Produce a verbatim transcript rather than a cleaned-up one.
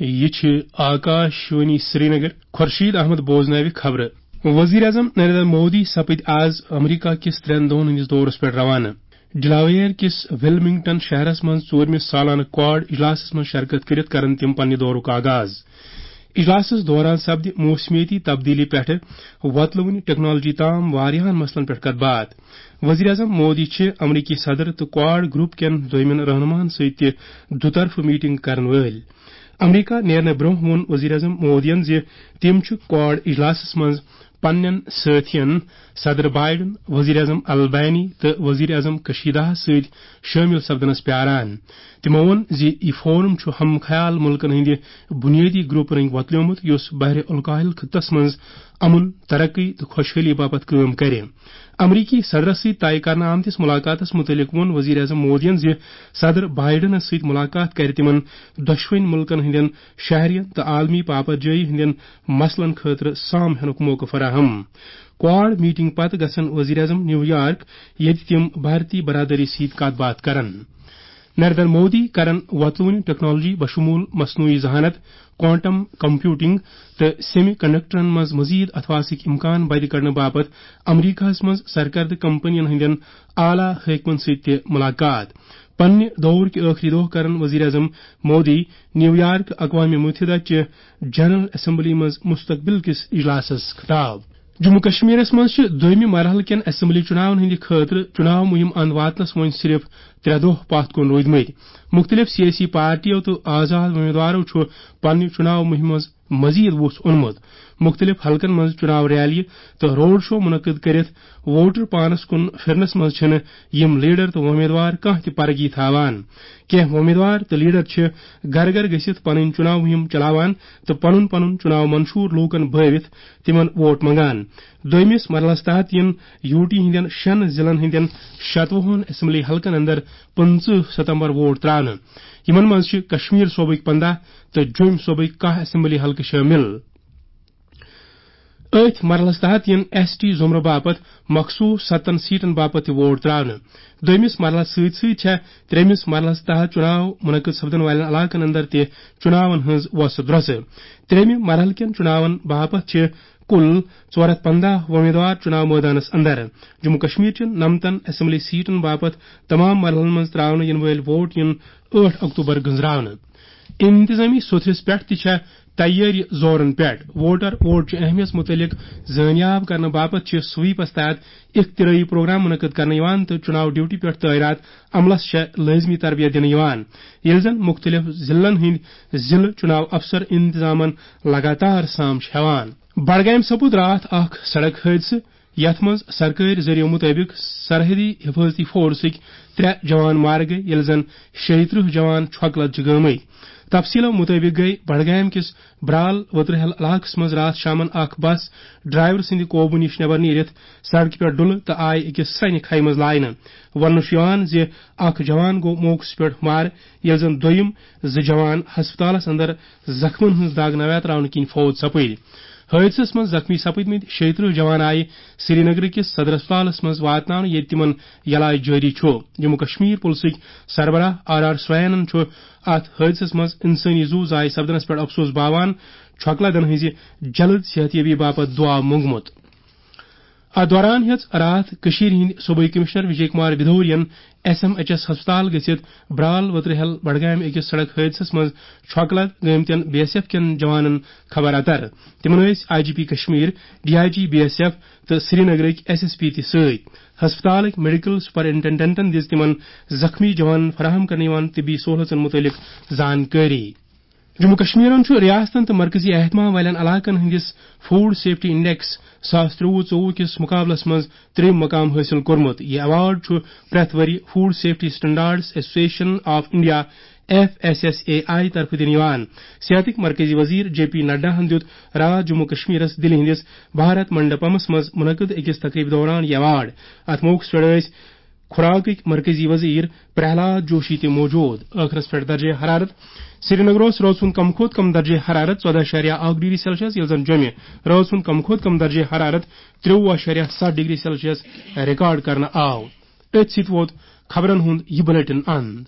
یہِ چھِ آکاش وانی سرینگر۔ خورشید احمد بوزناوِ خبرٕ۔ وزیر اعظم نریندر مودی سپٕدۍ آز امریکہ کِس ترٛٮ۪ن دۄہن ہٕنٛدِس دورس پٮ۪ٹھ روانہٕ۔ ڈلاویر کِس ویلمنگٹن شہرس منٛز ژوٗرمِس سالانہٕ کواڈ اجلاسس منٛز شرکت کٔرِتھ کرن تِم پننہِ دورُک آغاز۔ اجلاسس دوران سپدِ موسمیٲتی تبدیلی پٮ۪ٹھٕ وۄتلوٕنۍ ٹیکنالوجی تام واریاہن مسلن پٮ۪ٹھ کتھ باتھ۔ وزیر اعظم مودی چھِ امریکی صدر تہٕ کواڈ گروپ کٮ۪ن دویمٮ۪ن رہنماہن سۭتۍ تہِ دُطرفہٕ میٹنگ کرن وٲلۍ۔ امریکہ نیرنہٕ برونٛہہ ووٚن وزیر اعظم مودیَن زِ تِم چھِ کواڈ اجلاسَس منٛز پننٮ۪ن سٲتھین صدر بائیڈن، وزیر اعظم البانی تہٕ وزیر اعظم کشیداہَس سۭتۍ شٲمِل سپدنَس پیاران۔ تِمَو ووٚن زِ یہِ فورم چھُ ہم خیال مُلکَن ہٕنٛدِ بُنیٲدی گروپ رٔنٛگۍ وۄتلیومُت، یُس بحر الکاہل خطس منٛز امن، ترقی تہٕ خۄشحٲلی باپتھ کٲم کرِ۔ امریکی صدرس سۭتۍ طے کرنہٕ آمتِس ملاقاتس مُتعلق ووٚن وزیر اعظم مودیَن زِ صدر بائیڈنس سۭتۍ ملاقات کرِ تِمَن دۄشوٕنی مُلکَن ہٕنٛدٮ۪ن شہرین تہٕ عالمی پاپرجٲیی ہٕنٛدٮ۪ن مسلن خٲطرٕ سام ہینُک موقعہٕ فراہم۔ کواڈ میٹنگ پتہٕ گژھن وزیر اعظم نیو یارک، ییٚتہِ تِم بھارتی برادری سۭتۍ کتھ باتھ کرن۔ نریندر مودی کرن وۄتلوٕنۍ ٹیکنالوجی بشمول مصنوعی ذہانت، کوانٹم کمپیوٹنگ تہٕ سیمی کنڈکٹرن منٛز مزید اتھواسٕکۍ امکان بدِ کڑنہٕ باپتھ امریکہس منٛز سرکردٕ کمپنین ہٕنٛدٮ۪ن اعلیٰ حٲکمن سۭتۍ تہِ ملاقات۔ پننہِ دورٕکۍ ٲخری دۄہ کرن وزیر اعظم مودی نیو یارک اقوام متحدہ چہِ جنرل اسمبلی منٛز مستقبل کِس اجلاسس خطاب۔ جموں کشمیرس منٛز چھِ دوٚیمہِ مرحلہٕ کٮ۪ن اسمبلی چُناون ہٕنٛدِ خٲطرٕ چُناو مُہِم اند واتنس وۄنۍ صرف ترٛےٚ دۄہ پتھ کُن روٗدمٕتۍ۔ مُختٔلِف سیٲسی پارٹیو تہٕ آزاد امیدوارو چھُ پننہِ چُناو مُہِمہِ منٛز مزید وُژھ اوٚنمُت۔ مُختٔلِف حلقن منٛز چُناو ریلیہِ تہٕ روڈ شو منعقد کٔرِتھ ووٹر پانس کُن پھِرنس منٛز چھِنہٕ یِم لیڈر تہٕ امیدوار کانٛہہ تہِ پرگی تھاوان۔ کینٛہہ امیدوار تہٕ لیڈر چھِ گرٕ گرٕ گٔژھِتھ پنٕنۍ چُناو مُہِم چلاوان تہٕ پنُن پنُن چُناو منشور لوٗکن بٲوِتھ تِمن ووٹ منگان۔ دوٚیمِس مرحلس تحت یِن یوٗ ٹی ہٕنٛدٮ۪ن شٮ۪ن ضلعن ہٕنٛدٮ۪ن شتوُہن اسمبلی حلقن اندر پٕنٛژٕہ ستمبر ووٹ ترٛاونہٕ۔ یِمن منٛز چھِ کشمیر صوبٕکۍ پنٛداہ تہٕ جوٚمۍ صوبٕکۍ کاہ اسمبلی حلقہٕ شٲمِل۔ أتھۍ مرحلس تحت یِن ایس ٹی زمرٕ باپتھ مخصوٗص ستن سیٹن باپتھ تہِ ووٹ ترٛاونہٕ۔ دوٚیمِس مرحلس سۭتۍ سۭتۍ چھےٚ ترٛیٚیمِس مرحلس تحت چُناو منعقد سپدن والٮ۪ن علاقن اندر تہِ چُناون ہٕنٛز وۄسہٕ درۄسہٕ۔ ترٛیٚیمہِ مرحلہٕ کٮ۪ن چُناون باپتھ چھِ کُل ژور ہتھ پنٛداہ وۄمیدوار چُناو مٲدانس اندر۔ جموں کشمیر چٮ۪ن نمتن اسمبلی سیٹن باپتھ تمام مرحلن منٛز ترٛاونہٕ یِنہٕ وٲلۍ ووٹ یِن ٲٹھ اکتوبر گٔنزراونہٕ۔ انتظامی سوٚتھرِس پٮ۪ٹھ تہِ چھےٚ تیٲری زورن پٮ۪ٹھ۔ ووٹر ووٹ چہِ اہمیت مُتعلق زٲنیاب کرنہٕ باپتھ چھِ سویپس تحت اختراعی پروگرام منعقد کرنہٕ یِوان تہٕ چُناو ڈیوٹی پٮ۪ٹھ تعینات عملس چھےٚ لٲزمی تربیت دِنہٕ یِوان، ییٚلہِ زن مُختٔلِف ضلعن ہٕنٛدۍ ضلعہٕ چُناو افسر انتظامن لگاتار سام چھِ ہٮ۪وان۔ بڈگامہِ سپُد راتھ اکھ سڑک حٲدثہٕ، یتھ منٛز سرکٲرۍ ذٔریعہٕ مُطٲبِق سرحدی حفاظتی فورسٕکۍ ترٛےٚ جوان مارٕ گٔیہِ، ییٚلہِ زن شیٚیہِ ترٕٛہ جوان چھۄکہٕ لد چھِ گٲمٕتۍ۔ تفصیٖلو مُطٲبِق گٔیہِ بڈگامہِ کِس برال وترہل علاقس منٛز راتھ شامن اکھ بس ڈرائیور سٕنٛدِ قوبوٗ نِش نٮ۪بر نیٖرِتھ سڑکہِ پٮ۪ٹھ ڈُلہٕ تہٕ آیہِ أکِس سرٛنہِ کھایہِ منٛز لاینہٕ۔ وننہٕ چھُ یِوان زِ اکھ جوان گوٚو موقعس پٮ۪ٹھ مارٕ، ییٚلہِ زن دوٚیِم زٕ جوان ہسپتالس اندر زخمن ہٕنٛز دگ نویاتراونہٕ کِنۍ فوت سپٕدۍ۔ حٲدثس منٛز زخمی سپٕدمٕتۍ شیٚیہِ ترٕٛہ جوان آیہِ سرینگرٕ کِس صدر ہسپتالس منٛز واتناونہٕ، ییٚتہِ تِمن علاج جٲری چھُ۔ جموں کشمیر پُلسٕکۍ سربراہ آر آر سوینن چھُ اتھ حٲدثس منٛز انسٲنی زُو ضایع سپدنس پٮ۪ٹھ افسوس باوان چھۄکہٕ لدن ہٕنٛزِ جلد صحت یابی باپتھ دُعا مونگمُت۔ اتھ دوران ہیٚژ راتھ کٔشیٖرِ ہٕنٛدۍ صوبٲئی کمشنر وجے کمار بھدورین ایس ایم ایچ ایس ہسپتال گٔژھِتھ برال وترہل بڈگامہِ أکِس سڑک حٲدثس منٛز چھۄکہٕ لد گٲمتٮ۪ن بی ایس ایف کٮ۪ن جوانن خبر اتر۔ تِمن ٲسۍ I G P Kashmir, D I G B S F تہٕ سرینگرٕکۍ ایس ایس پی تہِ سۭتۍ۔ ہسپتالٕکۍ میڈیکل سپرنٹنڈنٹن دِژ تِمن زخمی جوانن فراہم کرنہٕ یِوان طبی سہولژن مُتعلق زانکٲری۔ جموں کشمیرن چھُ ریاستن تہٕ مرکزی اہتمام والٮ۪ن علاقن ہٕنٛدِس فوڈ سیفٹی انڈیکس ساس ترٛوٚوُہ ژوٚوُہ کِس مقابلس منٛز ترٛیٚیِم مقام حٲصِل کوٚرمُت۔ یہِ ایوارڈ چھُ پرٛٮ۪تھ ؤرۍ food safety standards association of India, F S S A I, طرفہٕ دِنہٕ یِوان۔ صحتٕکۍ مرکزی وزیر جے پی نڈا ہن دیُت راتھ جموں کشمیرس دِلہِ ہٕنٛدِس بھارت منڈپمس منٛز منعقد أکِس تقریبہِ دوران یہِ ایوارڈ۔ اتھ موقعس پٮ۪ٹھ ٲسۍ خوراکٕکۍ مرکزی وزیر پرہلاد جوشی تہِ موجود۔ ٲخرس پٮ۪ٹھ درجہ حرارت۔ سرینگرس رٲژ ہُنٛد کم کھۄتہٕ کم درجہ حرارت ژۄدہ اعشاریہ اکھ ڈگری سیلسیس، ییٚلہِ زن جوٚمہِ رٲژ ہُنٛد کم کھۄتہٕ کم درجہ حرارت ترٛوٚوُہ اعشاریہ ستھ ڈگری سیلسیس ریکارڈ کرنہٕ آو۔ أتھۍ سۭتۍ ووت خبرن ہُنٛد یہِ بلیٹن اند۔